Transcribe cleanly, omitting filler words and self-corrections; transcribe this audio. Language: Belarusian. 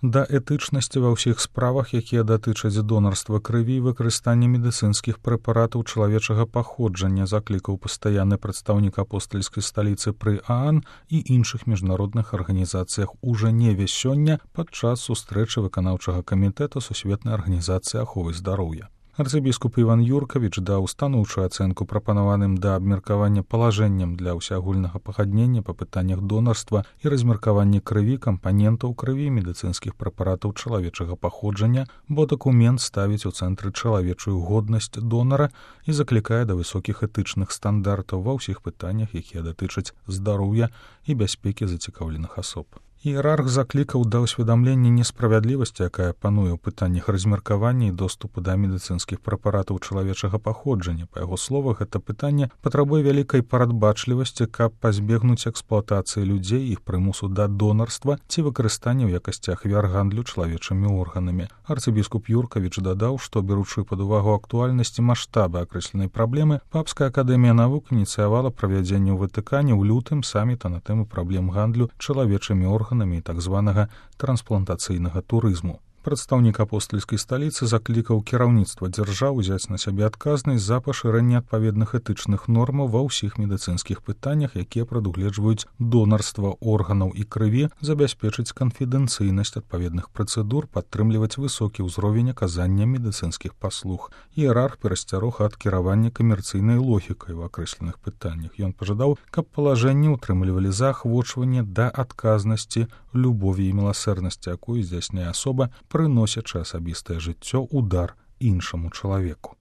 да этычнасці ва ўсіх справах, якія датычаць донарства крыві і выкарыстання медыцынскіх прэпаратаў чалавечага паходжання, заклікаў пастаянны прадстаўнік апостальскай сталіцы пры ААН і іншых міжнародных арганізацыях у Жэневе сёння падчас сустрэчы выканаўчага камітэта Сусветнай арганізацыі аховы здароўя. Арцыбіскуп Іван Юркавіч даў станоўчую ацэнку прапанаваным да абмеркавання палажэнням для ўсеагульнага пагаднення па пытаннях донарства і размеркавання крыві, кампанентаў крыві, медыцынскіх прэпаратаў чалавечага паходжання, бо дакумент ставіць у цэнтры чалавечую годнасць донара і заклікае да высокіх этычных стандартаў ва ўсіх пытаннях, якія датычаць здароўя і бяспекі зацікаўленых асоб. Іерарх заклікаў да ўсведамлення несправядлівасці, якая пануе ў пытаннях размеркавання і доступу да медыцынскіх прэпаратаў чалавечага паходжання. Па яго словах, гэта пытанне патрабуе вялікай парадбачлівасці, каб пазбегнуць эксплуатацыі людзей, іх прымусу да донарства ці выкарыстання ў якасці ахвяр гандлю чалавечымі органамі. Арцыбіскуп Юркавіч дадаў, што, беручы пад увагу актуальнасць і маштабы акрэсленай праблемы, Папская акадэмія навук ініцыявала правядзенне ў Ватыкане ў лютым саміта на тэму праблем гандлю чалавечымі органамі і так званага трансплантацыйнага турызму. Прадстаўнік апостальскай сталіцы заклікаў кіраўніцтва дзяржаў узяць на сябе адказнасць за пашырэнне адпаведных этычных нормаў ва ўсіх медыцынскіх пытаннях, якія прадугледжваюць донарства органаў і крыві, забяспечыць канфідэнцыйнасць адпаведных працэдур, падтрымліваць высокі ўзровень аказання медыцынскіх паслуг. Іерарх перасцярог ад кіравання камерцыйнай логікай у акрэсленых пытаннях. Ён пажадаў, каб палажэнні ўтрымлівалі заахвочванне да адказнасці, любові і міласэрнасці, якую здзяйсняе асоба, прыносячы асабістае жыццё ў дар іншаму чалавеку.